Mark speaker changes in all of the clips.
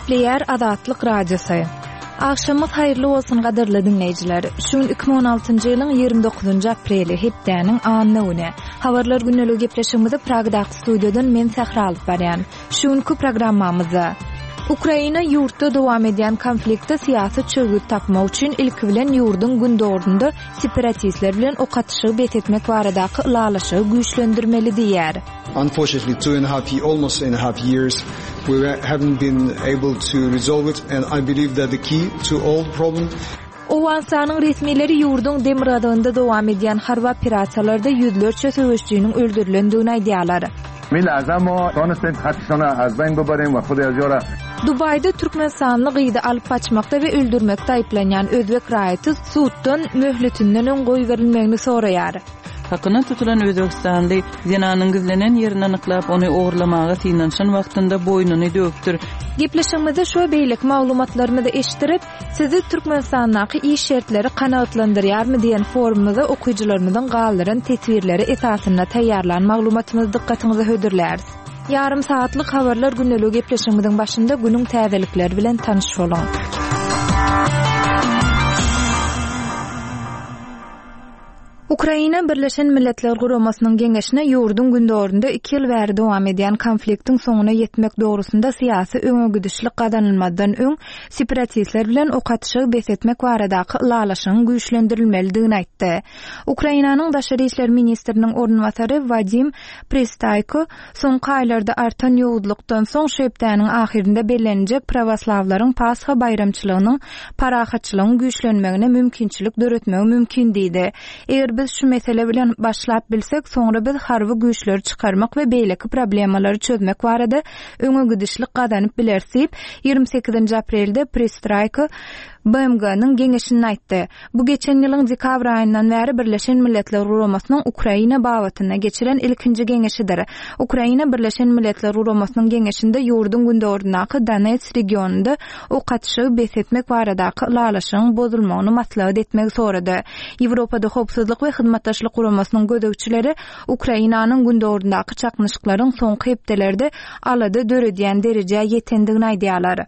Speaker 1: Gepleýär Azatlyk Radiosy. Agşamyňyz haýyrly bolsun gadyrly diňleýjiler. Şu gün 2016-njy ýylyň 29-njy apreli, hepdäniň anna güni. Habarlar gündeligi gepleşigimizi Pragadaky studiýadan men Sähra alyp barýan. Şu günki programmamyzda Ukraina ýurtda dowam edýän konflikte syýasy çözgüt tapmak üçin ilki bilen ýurduň gündogarynda separatistler bilen ok atyşygy bes etmek baradaky ylalaşygy güýçlendirmeli diýýär.
Speaker 2: Unfortunately two and a half almost two and a half years we haven't been able to resolve it and I believe that the key to all the problem
Speaker 1: Owganystanyň resmileri ýurduň demirgazygynda dowam edýän harby operasiýalarda ýüzlerçe söweşijiniň öldürilendigini aýdýarlar. Dubaýda türkmenistanly gyzy alyp gaçmakda we öldürmekde aýyplanýan özbek raýaty suddan möhletinden öň goýberilmegini soraýar.
Speaker 3: Hakyna tutulan özbegistanly zenanyň gizlenen ýerini anyklap, ony ogurlamaga synanyşan wagtynda boýnuny döwüpdir.
Speaker 1: Gepleşigimizde şu we beýleki maglumatlarymyzy eşitdirip, Sizi Türkmenistandaky iş şertleri kanagatlandyrýarmy diýen forumymyza okyjylarymyzyň galdyran teswirleri esasynda taýýarlan maglumatymyzy dykgatyňyza hödürläris. Ýarym sagatlyk Habarlar gündeligi gepleşigimiziň başynda günüň täzelikleri bilen tanyş boluň. Ukraina Birleşen Milletler Guramasynyň Geňeşine ýurduň gündogarynda iki ýyl bäri dowam edýän konfliktiň soňuna ýetmek dogrusynda syýasy öňegidişlik gazanylmazdan öň separatistler bilen ok atyşygy bes etmek baradaky ylalaşygyň güýçlendirilmelidigini aýtdy. Ukrainanyň daşary işler ministriniň orunbasary Wadim Pristaýko Soňky aýlarda artan ýowuzlykdan soň şu hepdäniň ahyrynda belleniljek prawoslawlaryň Pasha baýramçylygynyň parahatçylygyň güýçlenmegine mümkinçilik döretmegi mümkin diýdi. Eger biz şu mesele bilen başlap bilsek, soňra biz harby güýçleri çykarmak we beýleki problemalary çözmek barada öňegidişlik gazanyp bileris diýip, 28-nji aprelde Pristraýko BMG-niň Geňeşinde aýtdy. Bu geçen ýylyň dekabr aýyndan bäri Birleşen Milletler Guramasynyň Ukraina babatynda geçiren ilkinji geňeşidir. Ukraina Birleşen Milletler Guramasynyň Geňeşinde ýurduň gündogaryndaky Donets regionynda ok atyşygy bes etmek baradaky ylalaşygyň bozulmagyny maslahat etmegi sorady. Ýewropada Howpsuzlyk we Hyzmatdaşlyk Guramasynyň gözegçileri Ukrainanyň gündogaryndaky çaknyşyklaryň soňky hepdelerde alada döredýän derejä ýetendigini aýdýarlar.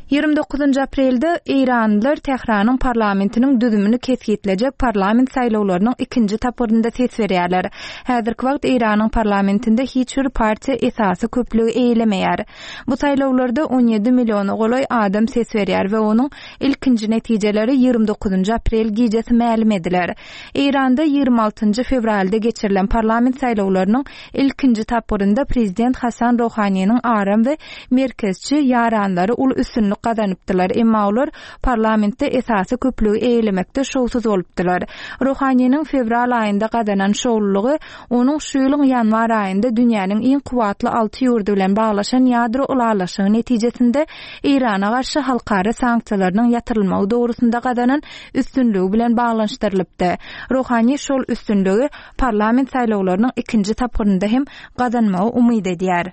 Speaker 1: 29 aprelde eýranlylar Tähranyň parlamentiniň düzümini kesgitlejek parlament saýlawlarynyň ikinji tapgyrynda ses berýärler. Häzirki wagt Eýranyň parlamentinde hiç bir partiýa esasy köplügi eýelemeýär. Bu saýlawlarda 17 milliona golaý adam ses berýär we onuň ilkinji netijeleri 29 aprel gijesi mälim ediler. Eýranda 26 fewralda geçirilen parlament saýlawlarynyň Ilkinji tapgyrynda prezident Hasan Rohaniniň aram we merkezçi ýaranlary uly üstünlik gazanypdylar, emma olar parlamentde esasy köplügi eýelemekde şowsuz bolupdylar. Rohaniniň fewral aýynda gazanan şowlulygy onuň şu ýylyň ýanwar aýynda dünýäniň iň kuwwatly alty ýurdy bilen baglaşan ýadro ylalaşygy netijesinde Eýrana garşy halkara sanksiýalarynyň ýatyrylmagy dogrusynda gazanan üstünligi bilen baglanyşdyrylypdy. Rohani şol üstünligi parlament saýlawlarynyň ikinji tapgyrynda hem gazanmagy umyt edýär.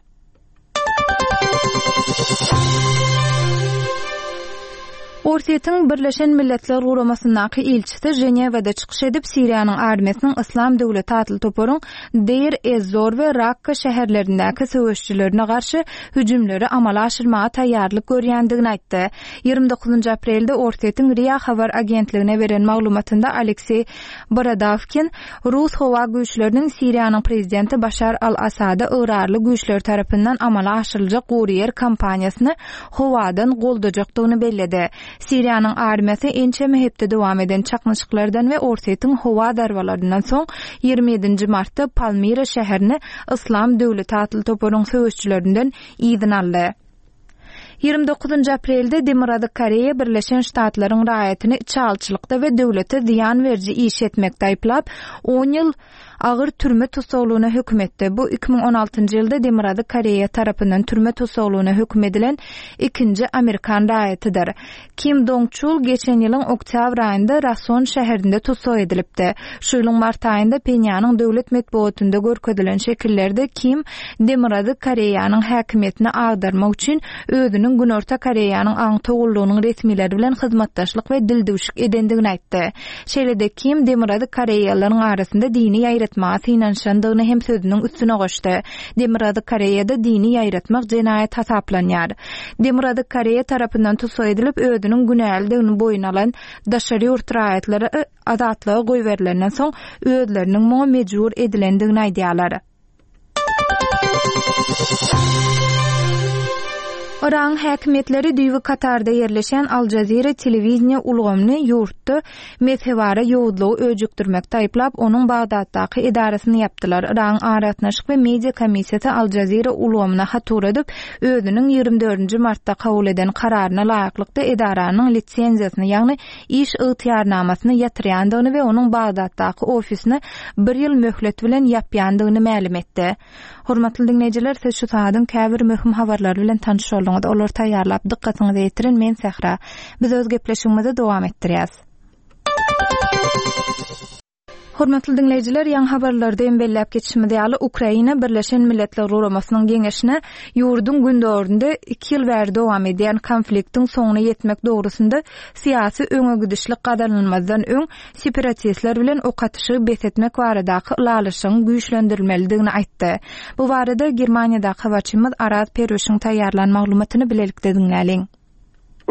Speaker 1: Orsýetiň Birleşen Milletler Guramasyndaky ilçisi Ženewada çykyş edip, Siriýanyň armiýasynyň Yslam döwleti atly toparyň Deir ez-Zor we Rakka şäherlerindäki söweşijilerine garşy hüjümleri amala aşyrmaga taýýarlyk görýändigini aýtdy. 29 aprelde Orsýetiň RIA habar agentligine beren maglumatynda Alekseý Borodawkin, rus howa güýçleriniň Siriýanyň prezidenti Başar al-Assada ygrarly güýçler tarapyndan amala aşyryljak gury ýer kampaniýasyny howadan goldajakdygyny belledi. Siriýanyň armiýasy ençeme hepde dowam eden çaknyşyklardan we Orsýetiň howa zarbalaryndan soň 27 nji martda Palmira şäherini Yslam döwleti atly toparyň söweşçilerinden yzyna aldy. 29 aprelde Demirgazyk Koreýa Birleşen Ştatlaryň raýatyny içalyçylykda we döwlete zyýan beriji iş etmekde aýyplap, on ýyl agyr türme tussaglygyna höküm etdi. Bu 2016-njy ýylda Demirgazyk Koreýa tarapyndan türme tussaglygyna höküm edilen ikinji amerikan raýatydyr. Kim Dong Çul geçen ýylyň oktýabr aýynda Rason şäherinde tussag edilipdi. Şu ýylyň mart aýynda Phenýanyň döwlet metbugatynda görkezilen şekillerde Kim Demirgazyk Koreýanyň häkimiýetini agdarmak üçin özüniň. özüniň Günorta Koreýanyň aňtaw gullugynyň resmileri bilen hyzmatdaşlyk we dildüwşük edendigini aýtdy. Şeýle-de Kim Demirgazyk koreýalylaryň arasynda dini ýaýratmaga synanyşandygyny hem sözüniň üstüne goşdy. Demirgazyk Koreýada dini ýaýratmak jenaýat hasaplanýar. Demirgazyk Koreýa tarapyndan tussag edilip, özüniň günälidigini boýun alan daşary ýurt raýatlary azatlyga goýberilenden soň özleriniň muňa mejbur edilendigini aýdýarlar. Yragyň häkimiýetleri düýbi Katarda ýerleşýän Al Jazeera telewideniýe ulgamyny ýurtda mezhebara ýowuzlygy öjükdirmekde aýyplap, onuň Bagdatdaky edarasyny ýapdylar. Yragyň Aragatnaşyk we media komissiýasy Al Jazeera ulgamyna hat ugradyp, özüniň 24-nji martda kabul eden kararyna laýyklykda edaranyň lisenziýasyny, ýagny iş ygtyýarnamasyny ýatyrýandygyny we onuň Bagdatdaky ofisini bir ýyl möhlet bilen ýapýandygyny mälim etdi. Hormatly diňleýjiler, siz şu sagadyň käbir möhüm habarlary bilen tanyş bolduňyz. Olary taýýarlap, dykgatyňyza ýetiren men Sähra. Biz öz gepleşigimizi dowam etdirýäs. Hormatly diňleýjiler, ýaňy habarlarda hem belläp geçişimiz ýaly, Ukraina Birleşen Milletler Guramasynyň Geňeşine ýurduň gündogarynda iki ýyl bäri dowam edýän konfliktiň soňuna ýetmek dogrusynda syýasy öňegidişlik gazanylmazdan öň separatistler bilen ok atyşygy bes etmek baradaky ylalaşygyň güýçlendirilmelidigini aýtdy. Bu barada Germaniýadaky habarçymyz Araz Perwişiň taýýarlan maglumatyny bilelikde diňläliň.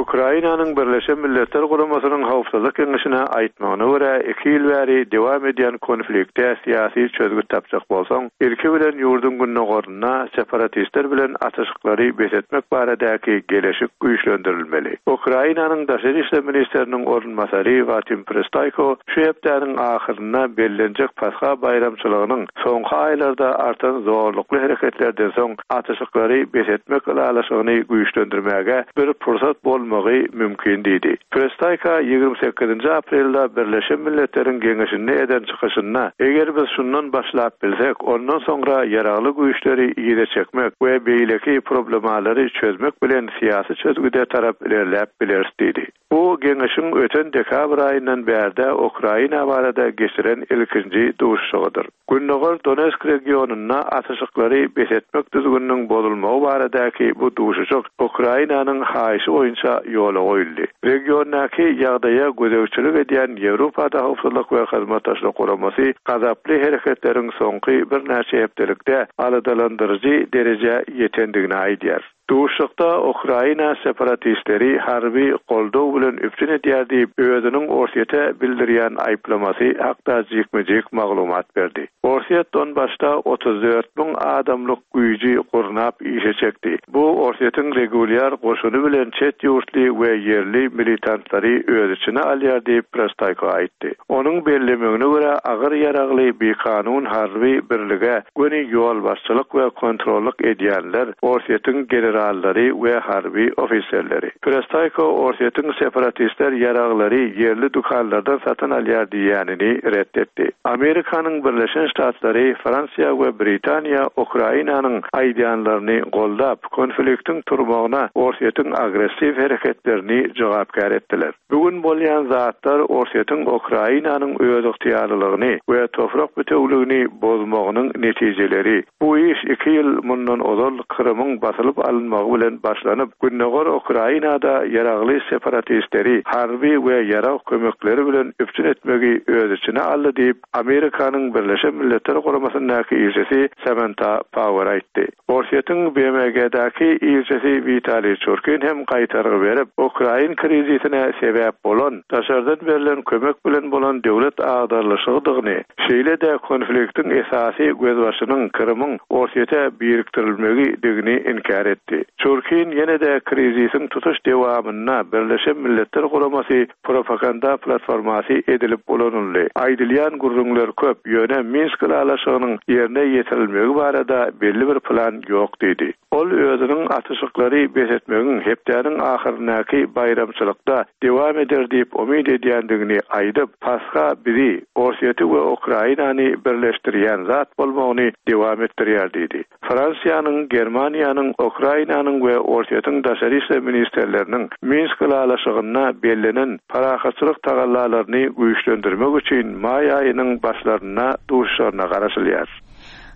Speaker 4: Ukrainanyň Birleşen Milletler Guramasynyň Howpsuzlyk Geňeşine aýtmagyna görä, iki ýyl bäri dowam edýän konflikte syýasy çözgüt tapjak bolsaň, ilki bilen ýurduň gündogarynda separatistler bilen atyşyklary bes etmek baradaky geleşik güýçlendirilmeli. Ukrainanyň daşary işler ministriniň orunbasary Watim Prystaýko şu hepdäniň ahyrynda bellenjek Pasha baýramçylygynyň soňky aýlarda artan zorlukly hereketlerden soň atyşyklary bes etmek ylalaşygyny güýçlendirmäge bir pursat bolmagy mümkin diýdi. Prestaýka 28-nji aprelde Birleşen Milletleriň Geňeşinde eden çykyşynda, Eger biz şundan başlap bilsek, ondan soňra ýaragly güýçleri yza çekmek we beýleki problemalary çözmek bilen syýasy çözgüde tarap ilerläp bileris diýdi. Bu Geňeşiň öten dekabr aýyndan bärde Ukraina barada geçiren ilkinji duşuşygydyr. Gündogar Donesk regionynda atyşyklary bes etmek düzgüniniň bozulmagy baradaky bu duşuşyk Ukrainanyň haýyşy boýunça ýola goýuldy. Regiondaky ýagdaýa gözegçilik edýän Ýewropada Howpsuzlyk we Hyzmatdaşlyk Guramasy gazaply hereketleriň soňky birnäçe hepdelikde aladalandyryjy derejä ýetendigini aýdýar. Duşuşykda Ukraina separatistleri harby goldaw bilen üpjün edýär diýip, özüniň Orsýete bildirýän aýyplamasy hakda jikme-jik maglumat berdi. Orsýet Donbasda 34 müň adamlyk güýji gurnap işe çekdi. Bu Orsýetiň regulýar goşuny bilen çet ýurtly we ýerli militantlary öz içine alýar diýip, Prostaýko aýtdy. Onuň bellemegine görä, agyr ýaragly bikanun harby birlige göni ýolbaşçylyk we kontrollyk edýänler Orsýetiň generallary we harby ofiserleri. Prestaýko Orsýetiň separatistler ýaraglary ýerli dükanlardan satyn alýar diýýänini ret etdi. Amerikanyň Birleşen Ştatlary, Fransiýa we Britaniýa Ukrainanyň aýdýanlaryny goldap, konfliktiň turmagyna Orsýetiň agressiw hereketlerini jogapkär etdiler. Bu gün bolýan zatlar Orsýetiň Ukrainanyň özygtyýarlylygyny we toprak bitewligini bozmagynyň netijeleri. Bu iş iki ýyl mundan ozal Krymyň basylyp alynmagy bilen başlanyp, gündogar Ukrainada ýaragly separatistleri harby we ýarag kömekleri bilen üpjün etmegi öz içine aldy diýip, Amerikanyň Birleşen Milletler Guramasyndaky ilçisi Samanta Power aýtdy. Orsýetiň BMG-däki ilçisi Witaliý Çurkin hem gaýtargy berip, ukrain krizisine sebäp bolan, daşardan berlen kömek bilen bolan döwlet agdarylyşygydygyny, şeýle-de konfliktiň esasy gözbaşynyň Krymyň Orsýete birikdirilmegidigini inkär etdi. Çurkin ýene-de krizisiň tutuş dewamynda Birleşen Milletler Guramasy propaganda platformasy edilip ulanyldy. Aýdylýan gürrüňler köp, ýöne Minsk ylalaşygynyň ýerine ýetirilmegi barada belli bir plan ýok diýdi. Ol özüniň atyşyklary bes etmegiň hepdäniň ahyryndaky baýramçylykda dowam eder diýip umyt edýändigini aýdyp, Pasha bizi, Orsýeti we Ukrainany birleşdirýän zat bolmagyny dowam etdirýär diýdi. Fransiýanyň, Germaniýanyň, Ukrainanyň we Orsýetiň daşary işler ministrleriniň Minsk ylalaşygynda bellenen parahatçylyk tagallalaryny güýçlendirmek üçin maý aýynyň başlarynda duşuşaryna garaşylýar.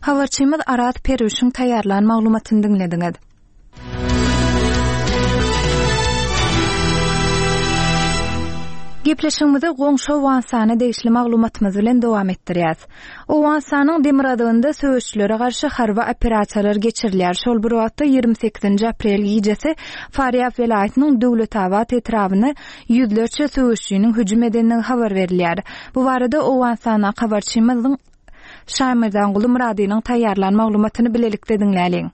Speaker 1: Habarçymyz Araz Perwişiň taýýarlan maglumatyny diňlediňiz. Gepleşigimizi goňşy Owganystana degişli maglumatymyz bilen dowam etdirýäs. Owganystanyň demirgazygynda söweşçilere garşy harby operasiýalar geçirilýär. Şol bir wagtda, 28-nji aprel gijesi Farýab welaýatynyň Döwletabat etrabyna ýüzlerçe söweşçiniň hüjüm edendigi habar berilýär. Bu barada Owganystandaky habarçymyzyň Şaýmerdanguly Myradynyň taýýarlan maglumatyny bilelikde diňläliň.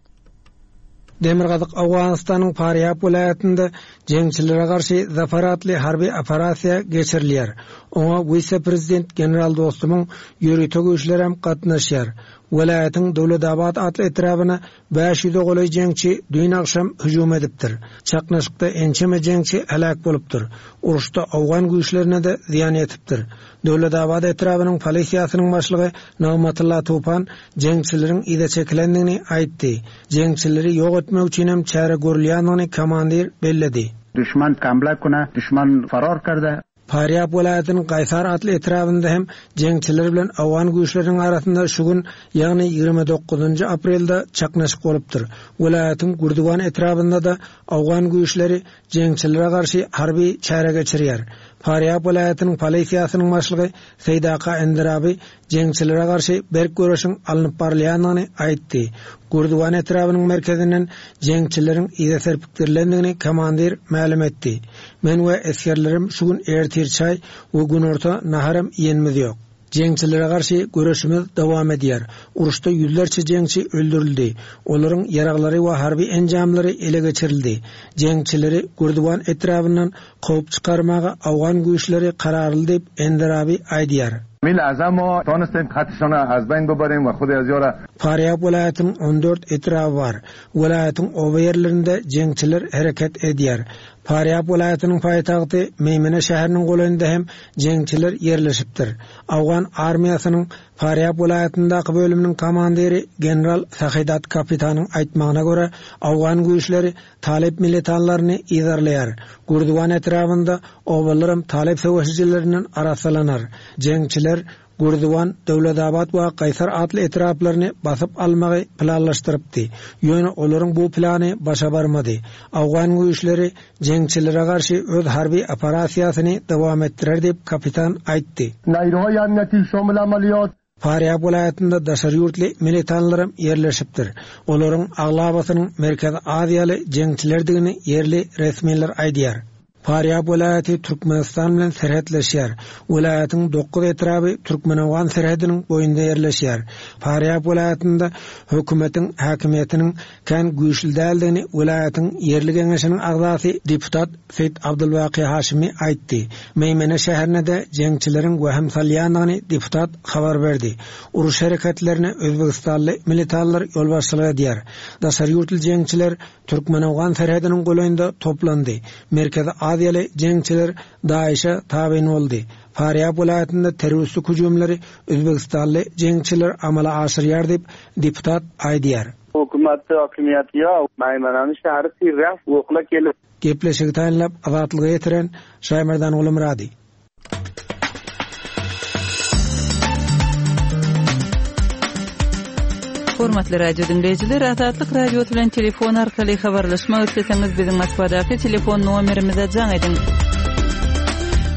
Speaker 5: Demirgazyk Owganystanyň Farýab welaýatynda jeňçilere garşy Zafar atly harby operasiýa geçirilýär. Oňa wise-prezident general Dostumyň ýörite güýçlerem gatnaşýar. Welaýatyň Döwletabat atly etrabyna 500-e golaý jeňçi düýn agşam hüjüm edipdir. Çaknyşykda ençeme jeňçi heläk bolupdyr. Uruşda owgan güýçlerine-de zyýan ýetipdir. Döwletabat etrabynyň polisiýasynyň başlygy Nygmatylla Tupan jeňçileriň yza çekilendigini aýtdy. Jeňçileri ýok etmek üçin hem çäre görülýändigini komandir belledi.
Speaker 6: Duşman hamle kune, duşman farar kerde.
Speaker 5: Farýab welaýatynyň Gaýsar atly etrabynda hem jeňçiler bilen owgan güýçleriniň arasynda şu gün, ýagny 29-njy aprelde çaknyşyk bolupdyr. Welaýatyň Gürdiwan etrabynda-da owgan güýçleri jeňçilere garşy harby çäre geçirýär. Farýab welaýatynyň polisiýasynyň başlygy Seýdaka Endirabi jeňçilere garşy berk göreşiň alnyp barylýandygyny aýtdy. Gürdiwan etrabynyň merkezinden jeňçileriň yza serpikdirilendigini komandir mälim etdi. Men we esgerlerim şu gün ertir çaý we günorta naharam iýenimiz ýok. Jeňçilere garşy göreşimiz dowam edýär. Uruşda ýüzlerçe jeňçi öldürildi. Olaryň ýaraglary we harby enjamlary ele geçirildi. Jeňçileri Gürdiwan etrabyndan kowup çykarmaga owgan güýçleri kararly diýip, Enderabi aýdýar. Farýab welaýatynyň 14 etraby bar. Welaýatyň oba ýerlerinde jeňçiler hereket edýär. Farýab welaýatynyň paýtagty Meýmene şäheriniň golaýynda hem jeňçiler ýerleşipdir. Owgan armiýasynyň Farýab welaýatyndaky bölüminiň komandiri general Sahidat Kapitanyň aýtmagyna görä, owgan güýçleri talyp militanlaryny yzarlaýar. Gürdiwan etrabynda obalaram talyp söweşijilerinden arassalanar. Jeňçiler Gürdiwan, Döwletabat we Gaýsar atly etraplaryny basyp almagy planlaşdyrypdy. Ýöne olaryň bu plany başa barmady. Owgan güýçleri jeňçilere garşy öz harby operasiýasyny dowam etdirer diýip, kapitan aýtdy. Farýab welaýatynda daşary ýurtly militanlaram ýerleşipdir. Olaryň aglabasynyň Merkezi Aziýaly jeňçilerdigini ýerli resmiler aýdýar. Farýab welaýaty Türkmenistan bilen serhetleşýär. Welaýatyň dokuz etraby türkmen-owgan serhediniň boýunda ýerleşýär. Farýab welaýatynda hökümetiň häkimiýetiniň kän güýçli däldigini welaýatyň ýerli geňeşiniň agzasy deputat Seýit Abdulbaky Haşymy aýtdy. Meýmene şäherine-de jeňçileriň wehim salýandygyny deputat habar berdi. Uruş hereketlerine özbegistanly militanlar ýolbaşçylyk edýär. Daşary ýurtly jeňçiler Türkmen-owgan serhediniň golaýynda toplandy. Merkezi Aziýaly jeňçiler DAIŞ-e tabyn boldy. Farýab welaýatynda terroristik hüjümleri özbegistanly jeňçiler amala aşyrýar diýip, deputat aýdýar.
Speaker 7: Hökümetde hökümiýet ýok. Maýmanany şäheri tizräk okla gelip.
Speaker 5: Gepleşigi taýynlap Azatlyga ýetiren Şaýmerdan Gulumyrady.
Speaker 3: Hormatly radio diňleýjiler, Azatlyk Radiosy bilen telefon arkaly habarlaşmak isleseňiz, biziň Moskwadaky telefon nomerimize jaň ediň.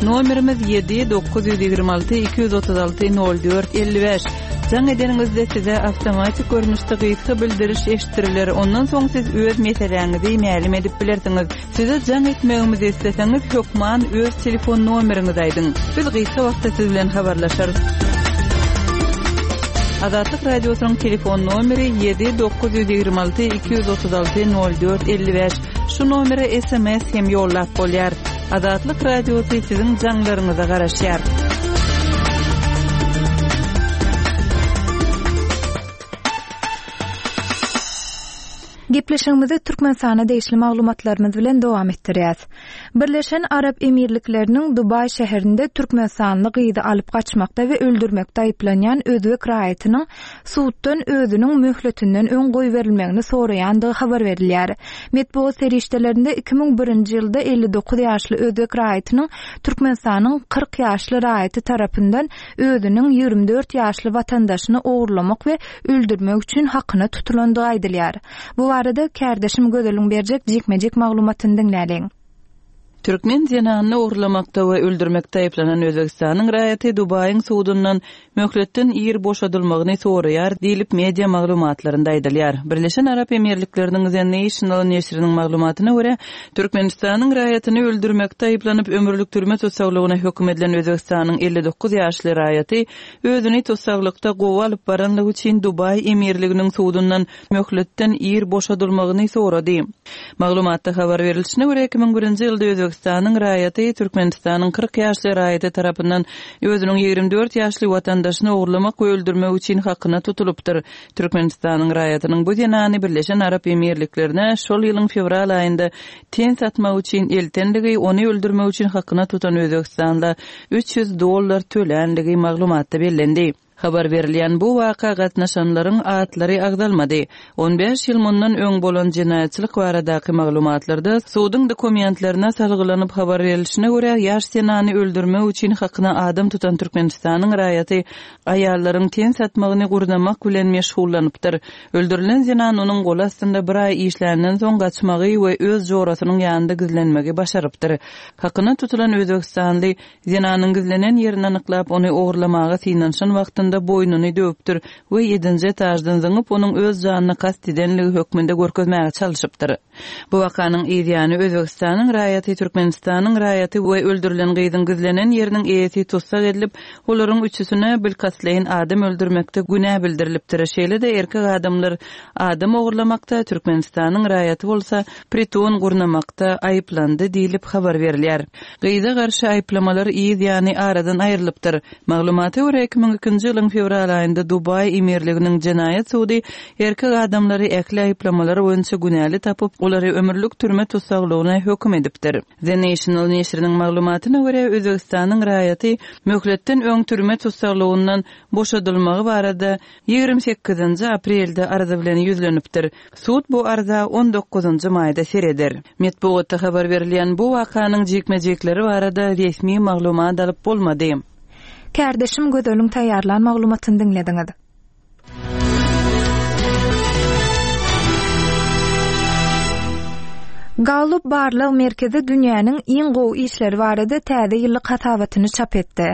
Speaker 3: Nomerimiz 7 926 236 04 55. Jaň edeniňizde size awtomatik görnüşde gysga bildiriş eşitdiriler. Ondan soň siz öz meseläňizi mälim edip bilersiňiz. Size jaň etmegimizi isleseňiz, hökman öz telefon nomeriňizi aýdyň. Biz gysga wagtda siz bilen habarlaşarys. Azatlyk Radiosynyň telefon nomeri 7 926 236 04 55. Şu nomere SMS hem ýollap bolýar. Azatlyk Radiosy siziň jaňlaryňyza garaşýar.
Speaker 1: Gepleşigimizi Türkmenistana degişli maglumatlarymyz bilen dowam etdirýäs. Birleşen Arap Emirlikleriniň Dubaý şäherinde türkmenistanly gyzy alyp gaçmakda we öldürmekde aýyplanýan özbek raýatynyň suddan özüniň möhletinden öň goýberilmegini soraýandygy habar berilýär. Metbugat serişdelerinde 2001-nji ýylda 59 ýaşly özbek raýatynyň Türkmenistanyň 40 ýaşly raýaty tarapyndan özüniň 24 ýaşly watandaşyny ogurlamak we öldürmek üçin hakyna tutulandygy aýdylýar. Bu barada kärdeşim Gözeliň berjek jikme-jik maglumatyny diňläliň.
Speaker 3: Türkmen zenanyny ogurlamakda we öldürmekde aýyplanan Özbegistanyň raýaty Dubaýyň sudundan möhletden ir boşadylmagyny soraýar diýlip, media maglumatlarynda aýdylýar. Birleşen Arap Emirlikleriniň The National neşiriniň maglumatyna görä, Türkmenistanyň raýatyny öldürmekde aýyplanyp, ömürlik türme tussaglygyna höküm edilen Özbegistanyň 59 ýaşly raýaty özüni tussaglykda gowy alyp baranlygy üçin Dubaý emirliginiň sudundan möhletden ir boşadylmagyny sorady. Maglumatda habar berilişine görä, 2001-nji ýylda Özbegistanyň raýaty Türkmenistanyň 40 ýaşly raýaty tarapyndan özüniň 24 ýaşly watandaşyny ogurlamak we öldürmek üçin hakyna tutulypdyr. Türkmenistanyň raýatynyň bu zenany Birleşen Arap Emirliklerine şol ýylyň fewral aýynda ten satmak üçin eltenligi, ony öldürmek üçin hakyna tutan özbegistanla 300 dollar tölänligi maglumatda bellendi. Habar berilýän bu waka gatnaşanlaryň atlary agzalmady. On bäş ýyl mundan öň bolan jenaýatçylyk baradaky maglumatlarda suduň dokumentlerine salgylanyp habar berilişine görä, ýaş zenany öldürmek üçin hakyna adam tutan Türkmenistanyň raýaty aýallaryň ten satmagyny gurnamak bilen meşgullanypdyr. Öldürilen zenan onuň goly astynda bir aý işländen soň gaçmagy we öz jorasynyň ýanynda gizlenmegi başarypdyr. Hakyna tutulan özbegistanly Zenanyň gizlenen ýerini anyklap, ony ogurlamaga synanyşan wagtynda boýnuny döwüpdir we ýedinji etaždan zyňyp, onuň öz janyna kast edenligi hökmünde görkezmäge çalşypdyr. Bu wakanyň yz ýany Özbegistanyň raýaty, Türkmenistanyň raýaty we öldürilen gyzyň gizlenen ýeriniň eýesi tussag edilip, olaryň üçüsine bilkastlaýyn adam öldürmekde günä bildirilipdir. Şeýle-de erkek adamlar adam ogurlamakda, Türkmenistanyň raýaty bolsa priton gurnamakda aýyplandy diýlip habar berilýär. Gyza garşy aýyplamalar yz ýany aradan aýrylypdyr. Maglumata görä, 2002-nji ýylyň fewral aýynda Dubaý emirliginiň jenaýat sudy erkek adamlary ähli aýyplamalar boýunça günäli tapyp, olary ömürlik türme tussaglygyna höküm edipdir. The National neşiriniň maglumatyna görä, Özbegistanyň raýaty möhletden öň türme tussaglygyndan boşadylmagy barada 28-nji aprelde arza bilen ýüzlenipdir. Sud bu arza on dokuzynjy maýda sereder. Metbugatda habar berilýän bu wakanyň jikme-jikleri barada resmi maglumat alyp bolmady.
Speaker 1: Kärdeşim Gözeliň taýýarlan maglumatyny diňlediňiz. Gallup barlag merkezi dünýäniň iň gowy işleri barada täze ýyllyk hasabatyny çap etdi.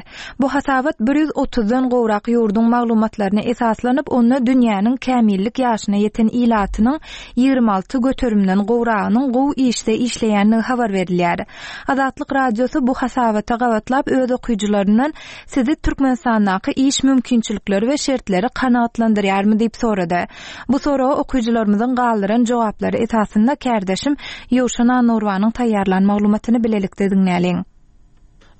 Speaker 1: Bu hasabat bir ýüz otuzdan gowrak ýurduň maglumatlaryna esaslanyp, onda dünýäniň kämillik ýaşyna ýeten ilatynyň 26 göterimden gowragynyň gowy işde işleýändigi habar berilýär. Azatlyk Radiosy bu hasabata gabatlap öz okyjylaryndan Sizi Türkmenistandaky iş mümkinçilikleri we şertleri kanagatlandyrýarmy diýip sorady. Bu soraga okyjylarymyzyň galdyran jogaplary esasynda kärdeşim Ýowşan Annagurbanyň taýýarlan maglumatyny bilelikde diňläliň.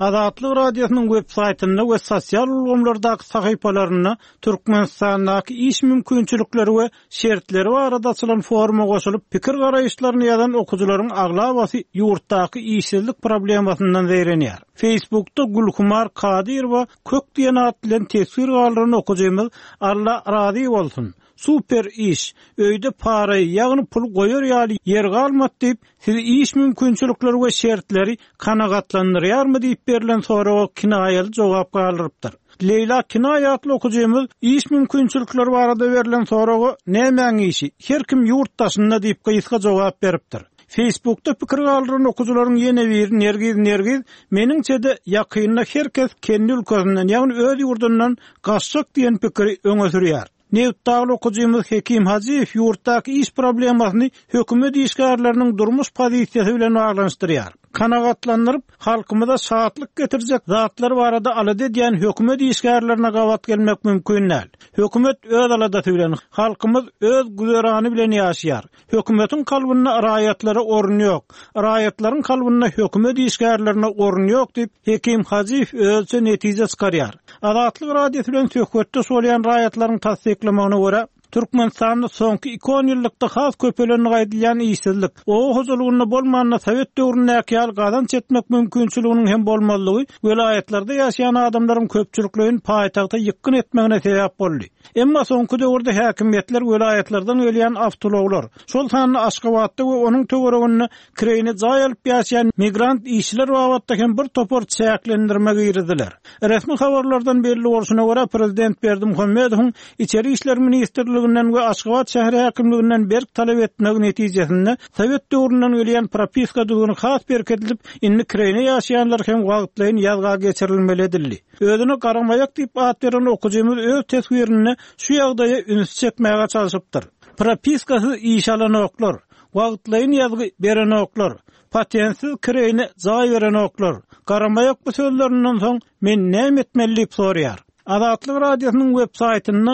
Speaker 8: Azatlyk Radiosynyň web saýtynda we sosial ulgamlardaky sahypalarynda Türkmenistandaky iş mümkinçilikleri we şertleri barada açylan foruma goşulyp, pikir-garaýyşlaryny ýazan okyjylaryň aglabasy ýurtdaky işsizlik problemasyndan zeýrenýär. Facebookda Gülhumar Kadyrowa Kök diýen at bilen teswir galdyran okyjymyz Alla razy bolsun! Super iş! Öýde paraýy, ýagny pul goýar ýaly ýer galmady diýip, Sizi iş mümkinçilikleri we şertleri kanagatlandyrýarmy diýip berlen soraga kinaýaly jogap galdyrypdyr. Leýla Kinaý atly okyjymyz iş mümkinçilikleri barada berlen soraga Nämäň işi? Her kim ýurt daşynda diýip gysga jogap beripdir. Facebookda pikir galdyran okyjylaryň ýene biri Nergiz Nergiz Meniňçe-de ýakynda her kes kendi ülkesinden, ýagny öz ýurdundan gaçjak diýen pikiri öňe sürýär. Nebitdagly okyjymyz Hekim Hajyýew ýurtdaky iş problemasyny hökümet işgärleriniň durmuş pozisiýasy bilen baglanyşdyrýar. Kanagatlandyryp, halkymyza şatlyk getirjek zatlar barada alada edýän hökümet işgärlerine gabat gelmek mümkin däl. Hökümet öz aladasy bilen, halkymyz öz güzerany bilen ýaşaýar. Hökümetiň kalbynda raýatlara orun ýok. Raýatlaryň kalbynda hökümet işgärlerine orun ýok diýip, Hekim Hajyýew özüçe netije çykarýar. Azatlyk Radiosy bilen söhbetdeş bolýan raýatlaryň tassyklamagyna görä, Türkmenistanda soňky iki onýyllykda has köpelendigi aýdylýan işsizlik, oba hojalygynda bolmanda sowet döwründäki ýaly gazanç etmek mümkinçiliginiň hem bolmazlygy welaýatlarda ýaşaýan adamlaryň köpçülikleýin paýtagta ýykgyn etmegine sebäp boldy. Emma soňky döwürde häkimiýetler welaýatlardan gelýän awtoulaglar, şol sanda Aşgabatda we onuň töwereginde kireýine jaý alyp ýaşaýan migrant işçiler babatda hem bir topar çäklendirme girizdiler. Resmi habarlardan belli bolşuna görä, prezident Berdimuhamedowyň Içeri işler ministrligi. ministrliginden we Aşgabat şäher häkimliginden berk talap etmegi netijesinde, sowet döwründen gelýän propiska düzgüni has berkidilip, indi kireýine ýaşaýanlar hem wagtlaýyn ýazga geçirilmeli edildi. Özüne Garamaýak diýip at beren okyjymyz öz teswirinde şu ýagdaýa ünsi çekmäge çalşypdyr. Propiskasyz iş alanoklar. Wagtlaýyn ýazgy berenoklar. Patentsiz kireýine jaý berenoklar. Garamaýak bu sözlerinden soň men näme etmeli diýip soraýar. Azatlyk Radiosynyň web saýtynda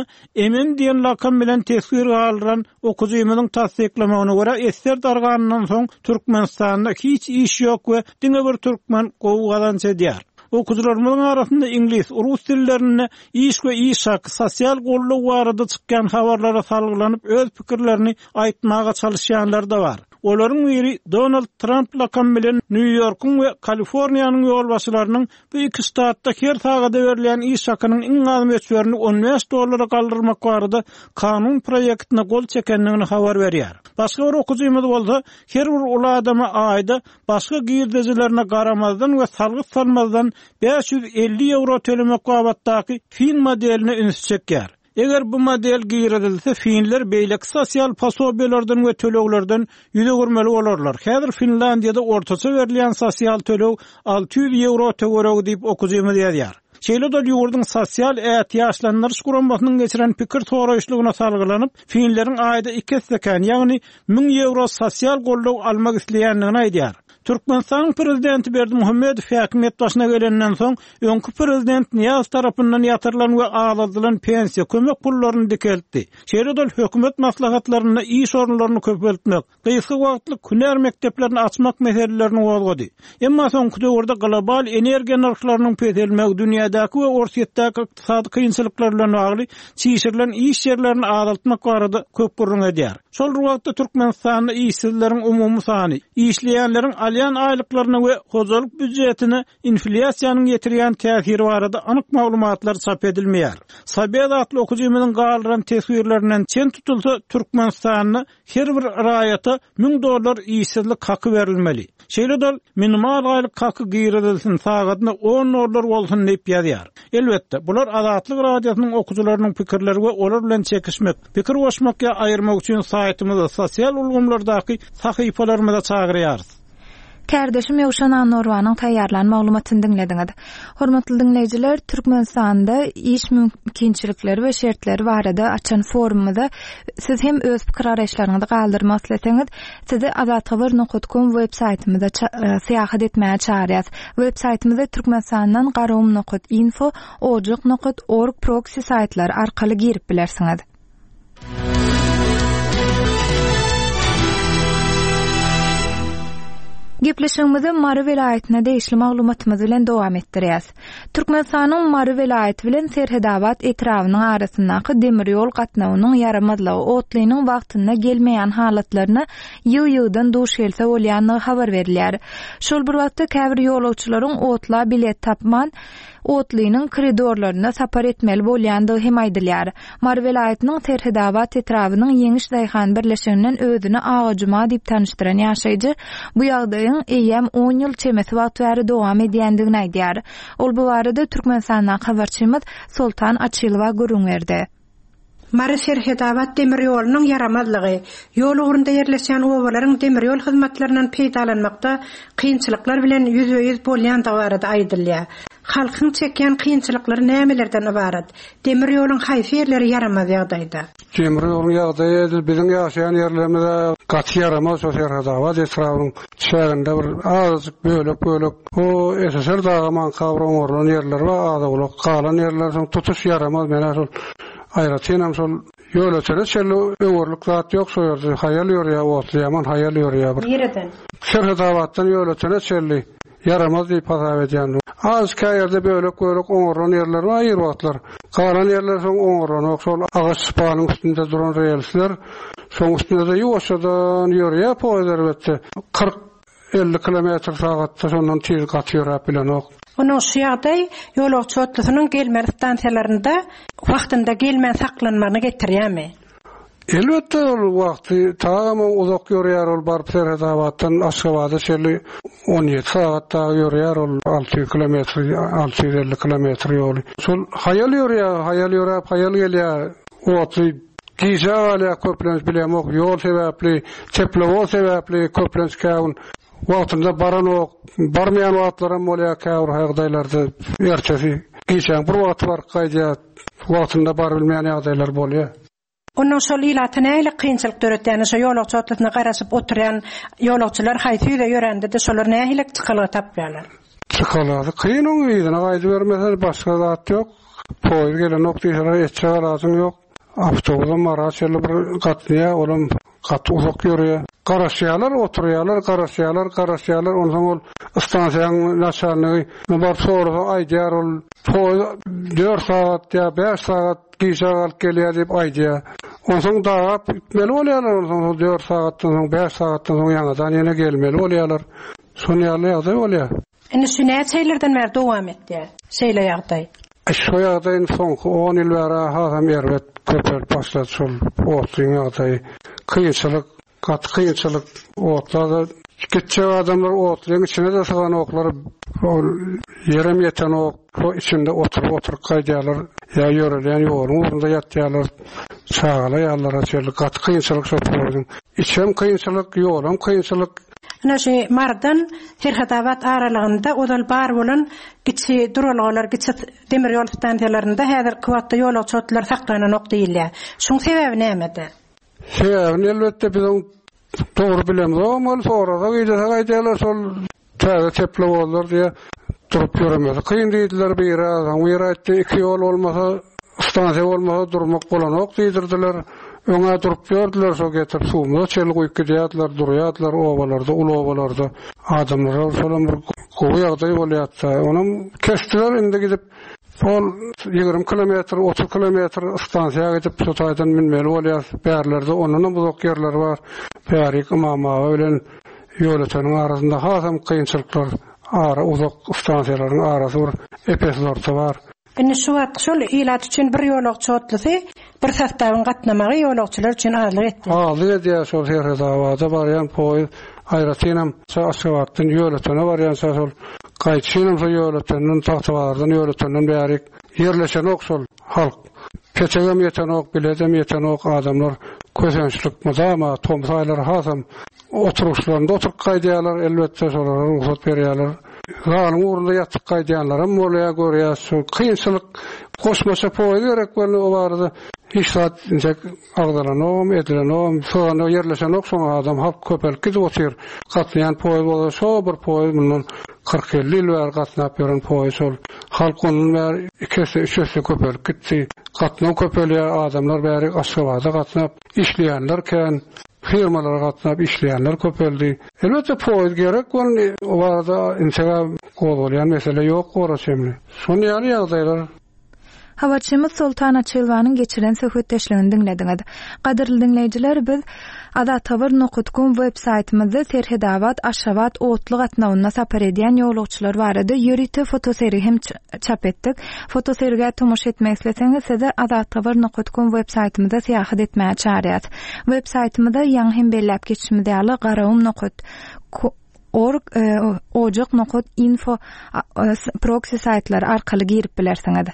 Speaker 8: MM diýen lakam bilen teswir galdyran okyjymyzyň tassyklamagyna görä esger darganyndan soň Türkmenistanda hiç iş ýok we diňe bir türkmen gowy gazanç edýär. Okyjylarymyzyň arasynda iňlis, rus dillerinde iş we iş haky, sosial goldaw barada çykýan habarlara salgylanyp öz pikirlerini aýtmaga çalyşýanlar-da bar. Olaryň biri Donald Tramp lakamy bilen Nýu-Ýorkuň we Kaliforniýanyň ýolbaşçylarynyň bu iki ştatda her sagada berilýän iş hakynyň iň az möçberini 15 dollara galdyrmak barada kanun proýektine gol çekendigini habar berýär. Başga bir okyjymyz bolsa, her bir uly adama aýda başga girdejilerine garamazdan we salgyt salmazdan 550 ýewro tölemek babatdaky fin modeline ünsi çekýär. Eger bu model girizilse, finler beýleki sosial posobiýalardan we töleglerden ýüz öwürmeli bolarlar. Häzir Finlandiýada ortaça berilýän sosial töleg 600 ýewro töweregi diýip, okyjymyz ýazýar. Şeýle-de ol ýurduň Sosial ätiýaçlandyryş guramasynyň geçiren pikir soraýyşlygyna salgylanyp, finleriň aýda iki esse kän, ýagny 1000 ýewro sosial goldaw almak isleýändigini aýdýar. Türkmenistanyň prezidenti Berdimuhamedow häkimiýet başyna gelenden soň, öňki prezident Nyýazow tarapyndan ýatyrylan we azaldylan pensiýa, kömek pullaryny dikeltdi. Şeýle-de ol hökümet maslahatlarynda iş orunlaryny köpeltmek, gysga wagtlyk hünär mekdeplerini açmak meselelerini gozgady. Emma soňky döwürde global energiýa nyrhlarynyň peselmegi, dünýädäki we Orsýetdäki ykdysady kynçylyklar bilen bagly çişirilen iş ýerlerini azaltmak barada köp gürrüň edýär. Şol bir wagtda Türkmenistanda işsizleriň umumy sany, işleýänleriň alýan aýlyklaryna we hojalyk býujetine inflýasiýanyň ýetirýän täsiri barada anyk maglumatlar çap edilmeýär. Sobez atly okyjymyzyň galdyran teswirlerinden çen tutulsa, Türkmenistanda her bir raýata 1000 dollar işsizlik haky berilmeli. Şeýle-de ol, minimal aýlyk haky girizilsin, sagadyna on dollar bolsun diýip ýazýar. Elbetde, bular Azatlyk Radiosynyň okyjylarynyň pikirleri we olar bilen çekişmek, pikir goşmak ýa aýyrmak üçin saýtymyza, sosial ulgamlardaky sahypalarymyza çagyrýarys.
Speaker 1: Kärdeşim Ýowşan Annorwanyň taýýarlan maglumatyny diňlediňiz. Hormatly diňleýjiler, Türkmenistanda iş mümkinçilikleri we şertleri barada açan forumymyza siz hem öz pikir-garaýyşlaryňyzy galdyrmak isleseňiz, Sizi azathabar nokat kom web saýtymyza syýahat etmäge çagyrýas. Web saýtymyza Türkmenistandan garagum nokat info, ojak nokat org proksi saýtlary arkaly girip bilersiňiz. Gepleşigimizi Mary welaýatyna degişli maglumatymyz bilen dowam etdirýäs. Türkmenistanyň Mary welaýaty bilen Serhedabat etrabynyň arasyndaky demir ýol gatnawynyň ýaramazlygy otlynyň wagtynda gelmeýän halatlaryna ýygy-ýygydan duş gelse bolýandygy habar berilýär. Şol bir wagtda käbir ýolagçylaryň otla bilet tapman, otlynyň koridorlarynda sapar etmeli bolýandygy hem aýdylýar. Mary welaýatynyň Serhedabat etrabynyň Ýeňiş daýhan birleşiginden özüni Aga Juma diýip tanyşdyran ýaşaýjy bu ýagdaýyň eýýäm on ýyl çemesi wagt bäri dowam edýändigini aýdýar. Ol bu barada Türkmenistandaky habarçymyz Soltan Açylowa gürrüň berdi.
Speaker 9: Mary-Serhedabat demir ýolunyň ýaramazlygy, ýol ugrunda ýerleşýän obalaryň demir ýol hyzmatlaryndan peýdalanmakda kynçylyklar bilen ýüzbe-ýüz bolýandygy barada aýdylýar. Halkyň çekýän kynçylyklary nämelerden ybarat? Demir ýoluň haýsy ýerleri ýaramaz ýagdaýda?
Speaker 10: Demir ýoluň ýagdaýy edil biziň ýaşaýan ýerlerimiz-ä gaty ýaramaz şo Serhetabat etrabynyň çäginde bir azajyk bölek-bölek o SSR dagamanka bir oňarylan ýerler bar az-owlak galan ýerler soň tutuş ýaramaz menä şol aýratynam şol Ýolötene çenli öwerlik zat ýok şo ýerde haýal ýörýär otly ýaman haýal ýörýär bir.
Speaker 9: Nireden?
Speaker 10: Serhetabatdan Ýolötene çenli. Ýaramaz diýip hasap edýän. Az kä ýerde bölek-bölek oňarylan ýerler bar ir wagtlar. Galan ýerler soň oňarylanok. Şol agaç sypanyň üstünde duran relsler. Şoň üstünde-de ýuwaşjadan ýörýär poýez elbetde. 40, 50 kilometr sagatda şondan tiz gaty ýöräp bilenok.
Speaker 9: Onuň şu ýagdaý ýolagçy otlusynyň gelmeli stansiýalarynda wagtynda gelmän saklanmagyna getirýärmi?
Speaker 10: Elbetde ol wagty tagam uzak ýörýär ol baryp Serhetabatdan Aşgabada çenli 17 sagat dagy ýörýär ol 600 kilometr 650 kilometr ýoly. Şol haýal ýörýär haýal ýöräp haýal gelýär otly. Gijä galýar köplenç bilemok ýol sebäpli, teplowoz sebäpli köplenç käwün wagtynda baranok, barmaýan wagtlaram bolýar käbir ýagdaýlarda ertesi gijäň bir wagty baryp gaýdýar, wagtynda barybilmeýän ýagdaýlar bolýar.
Speaker 9: Onnoň şol ilata nähili kynçylyk döretýäni şo ýolagçy otlusyna garaşyp oturýan ýolagçylar haýsy ýüze ýörände-de şolar nähili çykalga tapýarlar?
Speaker 10: Çykalgasy kyn oň yzyna gaýdybermese başga zat ýok. Poýuz gelenok diýseler etjek alajyň ýok. Awtobusam Mara çenli bir gatnaýar olam gaty uzak ýörýär. Garaşýarlar oturýarlar garaşýarlar garaşýarlar onsoň ol stansiýaň naçalnigi baryp sorasa aýdýar ol poýuz dört sagat ýa bäş sagat Gijä galyp gelýär diýip aýdýar. Onsoň dagap gitmeli bolýarlar, onsoň şol dört sagatdan soň, bäş sagatdan soň ýaňadan ýene gelmeli bolýarlar. Şon ýaly ýagdaý bolýar.
Speaker 9: Indi şu näçe ýyllardan bäri dowam etýär şeýle ýagdaý?
Speaker 10: Şu ýagdaý indi soňky on ýyl bäri hasam erbet köpelip başlady şol otlyň ýagdaýy. Kynçylyk Gaty kynçylyk. Otla-da gitjek adamlar otlyň içine-de syganoklar. Ol ýerem ýetenok. Şo içinde oturyp-oturyp gaýdýarlar. Ýa ýörelýän ýoluň ugrunda ýatýarlar. Çagala ýalylara çenli gaty kynçylyk şo poýeziň. Içem kynçylyk, ýolam kynçylyk.
Speaker 9: Ine şu Marydan Serhetabat aralygynda ozal bar bolan kiçi duralgalar, kiçi demir ýol stansiýalarynda häzirki wagtda ýolagçy otlulary saklananok diýilýär. Şuň sebäbi nämede?
Speaker 10: Sebäbini elbetde biz oň dogry bilemzogam ol sorasak idesek aýdýarlar şol täze teplowozlar diýe durup ýöremesi kyn diýdiler biri soň biri aýtdy iki ýol bolmasa stansiýa bolmasa durmak bolanok diýdirdiler öňä durup ýördüler şo getirip suwumyza çenli guýup gidýärdiler durýardylar obalarda uly obalarda adamlara şolam bir gowy ýagdaý bolýardy onam kesdiler indi gidip Ol 20 kilometr, 30 kilometr stansiýa gidip, şu taýdan münmeli bolýar. Bärlerde ondanam uzak ýerler bar. Bärik Ymam aga bilen Ýolöteniň arasynda hasam kynçylyklar, ara uzak stansiýalaryň arasy bir ep-esli orta bar.
Speaker 9: Indi şu wagt şol ilat üçin bir ýolagçy otlysy, bir sostawyň gatnamagy ýolagçylar üçin azlyk etýär.
Speaker 10: Azlyk edýär şol Serhedabada barýan poýez, aýratynam Aşgabatdan Ýolötene barýança şol Gaýdyşynam şo Ýolötenden, Tagtabazardan Ýolötenden bärik ýerleşenok şol halk. Petegem ýetenok, biledem ýetenok, adamlar kösençlik mydama, tomus aýlary hasam oturyşlarynda oturyp gaýdýarlar, elbetde şolara rugsat berýärler. Zalyň ugrunda ýatyp gaýdýanlaram bolýar, görýäs. Şol kynçylyk, goşmaça poýuz gerek boldy, o barada hiç zat intek Agzalanogam, edilenogam, syganda ýerleşenok şoňa adam, halk köpelip gidip otyr. Gatnaýan poýuz bolsa şo bir poýuz mundan 40-50 ýyl bäri gatnap ýören poýuz şol. Halk ondan bäri iki esse, üç esse köpelip gitdi. Gatnaw köpelýär, adamlar bäri Aşgabada gatnap işleýänler kän, firmalara gatnap işleýänler köpeldi. Elbetde poýuz gerek boldy, o barada integä gozgalýan mesele ýok ora çemli. Şon ýaly ýagdaýlar.
Speaker 1: Habarçymyz Soltan Açylowanyň geçiren söhbetdeşligini diňlediňiz. Gadyrly diňleýjiler, biz Azathabar nokat kom web saýtymyzda Serhedabat, Aşgabat otly gatnawynda sapar edýän ýolagçylar barada ýörite fotosergi hem çap etdik. Fotosergä tomaşa etmek isleseňiz, sizi Azathabar nokat kom web saýtymyza syýahat etmäge çagyrýas. Web saýtymyza ýaňy hem belläp geçişimiz ýaly Garagum nokat org, ojak nokat info proksi saýtlary arkaly girip bilersiňiz.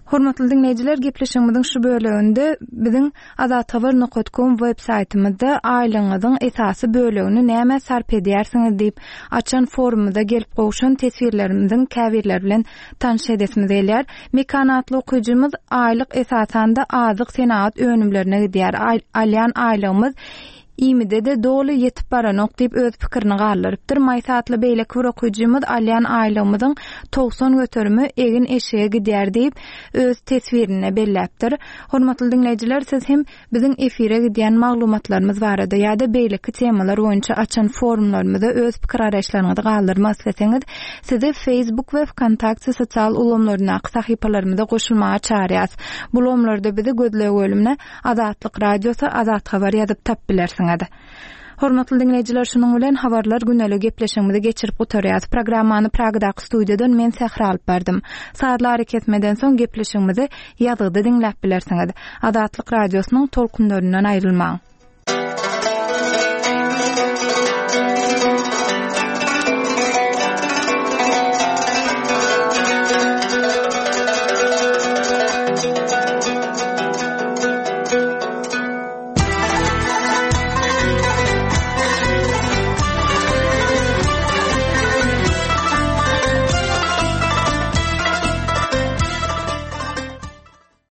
Speaker 1: Hormatly diňleýjiler, gepleşigimiziň şu böleginde biziň azathabar nokat kom web saýtymyzda aýlygyňyzyň esasy bölegini nämä sarp edýärsiňiz diýip açan forumymyza gelip gowşan teswirlerimiziň käbirleri bilen tanyş edesimiz gelýär. Mekan atly okyjymyz aýlyk esasanda azyk senagat önümlerine gidýär. Alýan aýlygymyz Iýmide-de doly ýetip baranok diýip öz pikirini galdyrypdyr. Maýsa atly beýleki bir okyjymyz alýan aýlygymyzyň 90 göterimi egin-eşige gidýär diýip, öz teswirinde belläpdir. Hormatly diňleýjiler, siz hem biziň efire gidýän maglumatlarymyz barada ýa-da beýleki temalar boýunça açan forumlarymyza öz pikir-garaýyşlaryňyzy galdyrmak isleseňiz, sizi Facebook we Wkontakte sosial ulgamlaryndaky sahypalarymyza goşulmaga çagyrýas. Bu ulgamlarda bizi gözleg bölümine Azatlyk Radiosy Azat Habar ýazyp tap bilersiňiz. Hormatly diňleýjiler şunuň bilen Habarlar güneli gepleşigimizi geçirip gutarýas. Programmany Pragadaky studiýadan men Sähra alyp bardym. Sazly arakesmeden soň gepleşigimizi ýazgyda diňläp bilersiňiz. Azatlyk Radiosynyň tolkunlaryndan aýrylmaň.